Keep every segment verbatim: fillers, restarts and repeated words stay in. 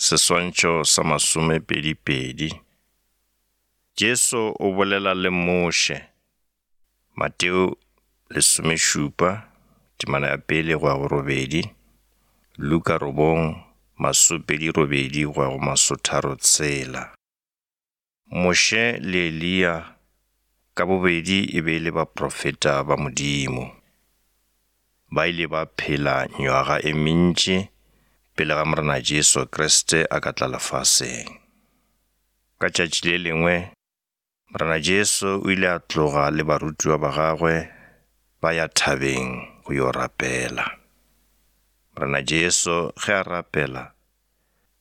Seswantšho sa masomepedi-pedi. Jesu o bolela le Moshe. Mateo lesomešupa, temana ya pele go ya go robedi, Luka robong, masopedi robedi go ya go masotharo tshela. Moshe le Eliya ka bobedi e be e le baprofeta ba Modimo. Ba ile ba phela nywaga e mentši pele ga Morena Jesu Kriste a ka tla lefaseng. Ka tšatši le lengwe, Morena Jesu o ile a tloga le barutiwa ba gagwe ba ya thabeng go yo rapela. Morena Jesu ge a rapela,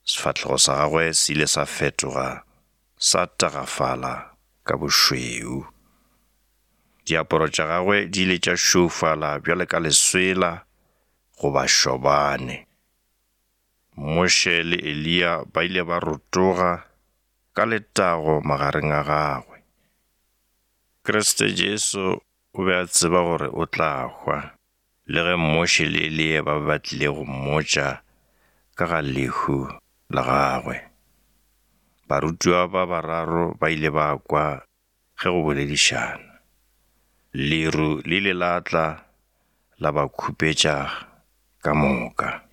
sefahlego sa gagwe se ile sa fetoga sa tagafala ka bošweu. Diaparo tša gagwe di ile tša šweufala bjalo ka leswela goba šobane. Moshe le Eliya ba ile ba rotoga ka letago magareng a gagwe. Kriste Jesu o be a tseba gore o tla hwa, le ge Moshe le Eliya ba be ba tlile go mmotša ka ga lehu la gagwe. Barutiwa ba bararo ba ile ba kwa ge go boledišana. Leru le ile la tla la ba khupetša ka moka.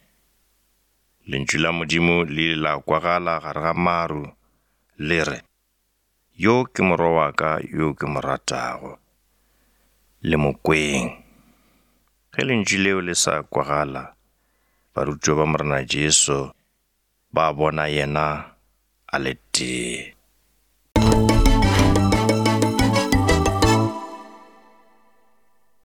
Lentšu la Modimo le ile la kwagala gare ga maru le re, Yo ke morwa wa ka yo ke mo ratago, le mo kweng. Ge lentšu leo le sa kwagala, barutiwa ba Morena Jesu ba bona yena a le tee.